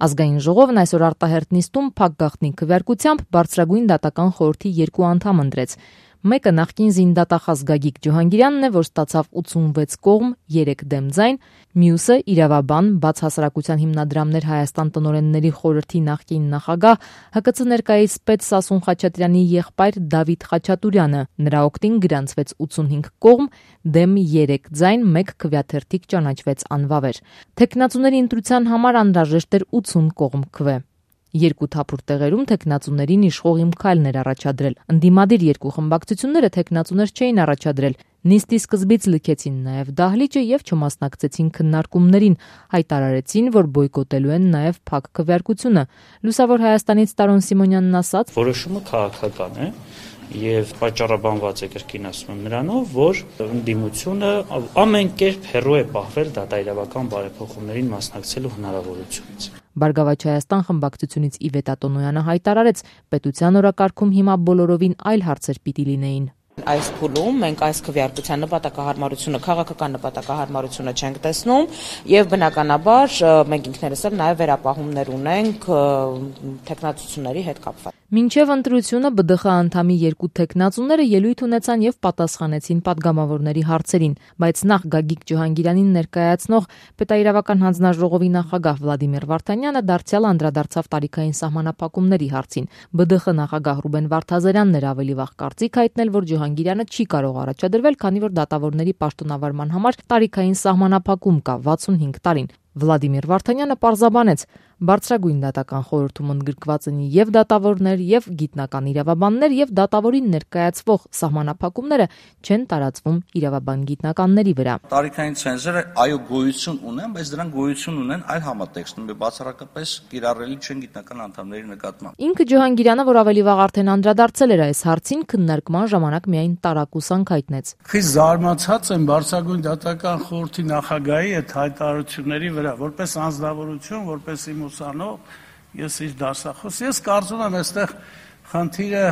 Ազգային ժողովն այսօր արտահերտ նիստում փակ գաղտնի քվեարկությամբ բարձրագույն դատական խորհրդի 2 անդամ ընտրեց։ Մեկը նախկին զինդատախազ Գագիկ Ջոհանգիրյանն է, որ ստացավ 86 կողմ, 3 դեմ ձայն, մյուսը իրավաբան, բաց հասարակության հիմնադրամներ Հայաստան տնօրենների խորհրդի նախկին նախագահ, ՀԿՑ ներկայիս պետ Սասուն Խաչատրյանի եղբայր Դավիթ Խաչատուրյանը։ Նրա օգտին գրանցվեց 85 կողմ, դեմ 3 ձայն, 1 քվեաթերթիկ ճանաչվեց անվավեր։ Թեկնածուների ընտրության համար անհրաժեշտ էր 80 կողմ քվե։ 2 թափուր տեղերում թեկնածուներին իշխող իմքայլներ առաջադրել։ Ընդդիմադիր 2 խմբակցությունները թեկնածուներ չէին առաջադրել։ Նիստի սկզբից լքեցին նաև դահլիճը եւ չմասնակցեցին քննարկումներին, հայտարարեցին, որ բոյկոտելու են նաև փակ քվեարկությունը։ Լուսավոր Հայաստանից Տարոն Սիմոնյանն ասաց. Որոշումը քաղաքական է եւ պատճառաբանված է կրկին ասում եմ նրանով, որ ընդդիմությունը ամեն կերպ հեռու է պահվել դատաիրավական բարեփոխումներին մասնակցելու հնարավորությունից։ Բարգավաճ Հայաստան խմբակցությունից Իվետա Տոնոյանը հայտարարեց, պետության օրակարգում հիմա բոլորովին այլ հարցեր պիտի լինեին։ Այս փուլում մենք այս քվեարկության նպատակահարմարությունը, քաղաքական նպատակահարմարությունը չենք տեսնում եւ բնականաբար մենք ինքներս էլ նաեւ վերապահումներ ունենք թեկնածությունների հետ կապված։ Մինչև ընտրությունը ԲԴԽ անդամի 2 թեկնածուները ելույթ ունեցան եւ պատասխանեցին պատգամավորների հարցերին, բայց նախ Գագիկ Ջոհանգիրանին ներկայացնող Պետաիրավական հանձնաժողովի նախագահ Վլադիմիր Վարդանյանը դարձյալ անդրադարձավ տարիքային սահմանափակումների հարցին։ ԲԴԽ նախագահ Ռուբեն Վարդազարյանն էր ավելի վաղ կարծիք հայտնել, որ Ջոհանգիրյանը չի կարող առաջադրվել, քանի որ դատավորների պաշտոնավարման համար տարիքային սահմանափակում կա 65 տարին։ Վլադիմիր Վարդանյանը պարզաբանեց, բարձրագույն դատական խորհրդում ընդգրկված են եւ դատավորներ, եւ գիտնական իրավաբաններ, եւ դատավորին ներկայացվող սահմանափակումները չեն տարածվում իրավաբան գիտնականների վրա։ Տարիքային ցենզուրը այո գոյություն ունեն, բայց դրանք գոյություն ունեն այլ համատեքստում, բացառապես կիրառելի չեն գիտնական անդամների նկատմամբ։ Ինքը Ջոհանգիրյանը, որ ավելի վաղ արդեն անդրադարձել էր այս հարցին, քննարկման ժամանակ միայն տարակուսանք հայտնեց։ Խիստ զարմացած եմ բարձրագույն դատական խորհրդի նախագահի այդ հայտարարությունների վրա, որպես անձնավորություն, որպես իմ ուսանող, ես իր դասախոս, ես կարծում եմ այստեղ խնդիրը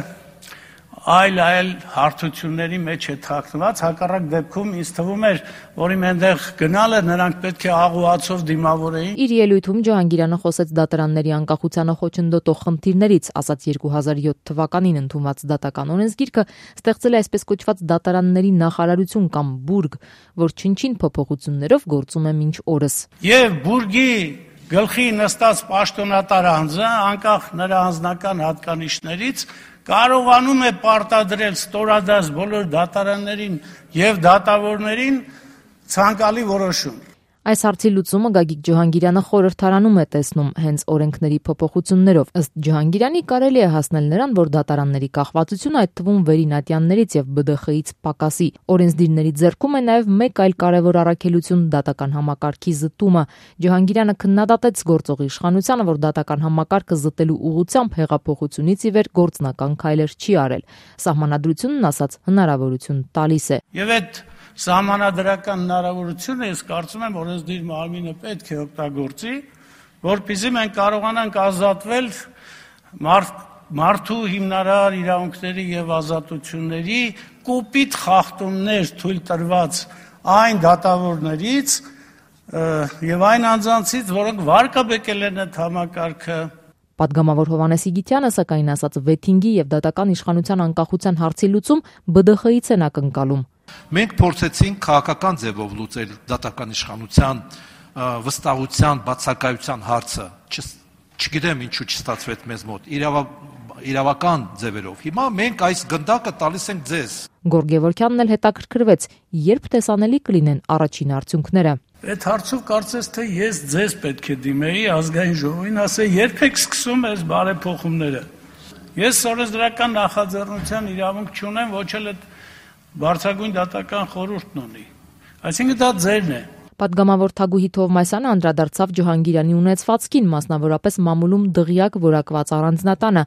այլ հարթությունների մեջ է թաքնված, հակառակ դեպքում ինձ թվում էր, որ իմ այնտեղ գնալը նրանք պետք է աղուացով դիմավորեին։ Իր ելույթում Ջոհանգիրյանը խոսեց դատարանների անկախությանը խոչընդոտող խնդիրներից, ասաց 2007 թվականին ընդունված դատական օրենսգիրքը ստեղծել է այսպես կոչված դատարանների նախարարություն կամ բուրգ, որ չնչին փոփոխություններով գործում է մինչ օրս։ Եվ բուրգի գլխի նստած պաշտոնատար անձը, անկախ նրա անձնական հատկանիշներից, կարողանում է պարտադրել ստորադաս բոլոր դատարաններին եւ դատավորներին ցանկալի որոշում։ Այս հարցի լուծումը Գագիկ Ջոհանգիրյանը խորհրդարանում է տեսնում հենց օրենքների փոփոխություններով։ Ըստ Ջոհանգիրյանի կարելի է հասնել նրան, որ դատարանների կախվածությունը այդ թվում վերինատյաններից եւ ԲԴԽ-ից պակասի։ Օրենսդիրների ձեռքում է նաեւ մեկ այլ կարևոր առաքելություն՝ դատական համակարգի զտումը։ Ջոհանգիրյանը քննադատեց գործող իշխանությանը, որ դատական համակարգը զտելու ուղղությամբ հեղափոխությունից ի վեր գործնական քայլեր չի արել։ Սահմանադրությունն ասաց հնարավորություն տալիս է։ Եվ այդ սահմանադրական հնարավորությունը ես կարծում եմ օրենսդիր մարմինը պետք է օգտագործի, որպեսզի մենք կարողանանք ազատվել մարդու հիմնարար իրավունքների եւ ազատությունների կոպիտ խախտումներ թույլ տրված այն դատավորներից եւ այն անձանցից, որոնք վարկաբեկել են այդ համակարգը։ Պատգամավոր Հովհաննես Իգիթյանը սակայն ասաց վեթինգի եւ դատական իշխանության անկախության հարցի լուծում ԲԴԽ-ից են ակնկալում։ Մենք փորձեցինք քաղաքական ձևով լուծել դատական իշխանության վստահության, բացակայության հարցը, չգիտեմ ինչու չստացվեց մեզ մոտ, իրավական ձևերով։ Հիմա մենք այս գնդակը տալիս ենք ձեզ։ Գորգ Գևորգյանն էլ հետաքրքրվեց, երբ տեսանելի կլինեն առաջին արդյունքները։ Այդ հարցով կարծես թե ես ձեզ պետք է դիմեի ազգային ժողովին, ասեի, երբ եք սկսում այս բարեփոխումները։ Ես օրենսդրական նախաձեռնության իրավունք չունեմ, ոչ էլ այդ բարձրագույն դատական խորհուրդն ունի։ Այսինքն դա ձերն է։ Պատգամավոր Թագուհի Թովմասյանը անդրադարձավ Ջոհանգիրյանի ունեցվածքին, մասնավորապես մամուլում դղյակ որակված առանձնատանը,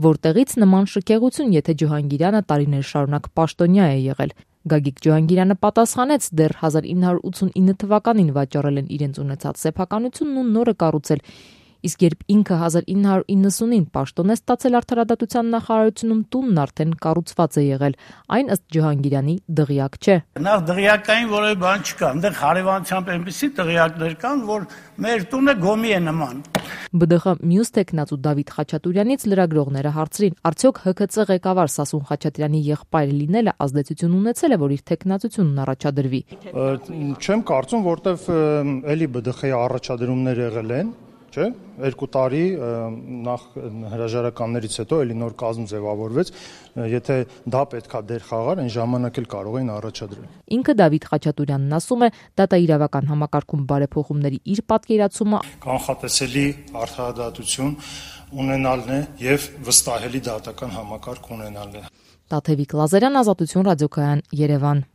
որտեղից նման շքեղություն, եթե Ջոհանգիրյանը տարիներ շարունակ պաշտոնյա է եղել։ Գագիկ Ջոհանգիրյանը պատասխանեց, դեռ 1989 թվականին վաճառել են իրենց ունեցած սեփականությունն ու նորը կառուցել։ Իսկ երբ ինքը 1990-ին պաշտոն է ստացել արդարադատության նախարարությունում, տունն արդեն կառուցված է եղել, այն ըստ Ջհանգիրյանի դղյակ չէ։ Նախ դղյակային որևէ բան չկա, այնտեղ հարևանությամբ այնպիսի դղյակներ կան, որ մեր տունը գոմի է նման։ ԲԴԽ մյուս տեխնացու Դավիթ Խաչատուրյանից լրագրողները հարցրին, արդյոք ՀՔԾ ղեկավար Սասուն Խաչատրյանի եղբայրը լինելը ազդեցություն ունեցել է, որ իր տեխնացությունն առաջադրվի։ Չեմ կարծում, որտեվ էլի ԲԴԽ-ի առաջադրումներ եղել են, չէ՞, 2 տարի նախ հրաժարականներից հետո էլի նոր կազմ ձևավորվեց, եթե դա պետքա դեր խաղար, այն ժամանակ էլ կարող էին առաջադրել։ Ինքը Դավիթ Խաչատուրյանն ասում է, դատաիրավական համակարգում բարեփոխումների իր պատկերացումը կանխատեսելի արդարադատություն ունենալն է եւ վստահելի դատական համակարգ ունենալն է։ Տաթևիկ Լազարյան, Ազատություն ռադիոկայան, Երևան։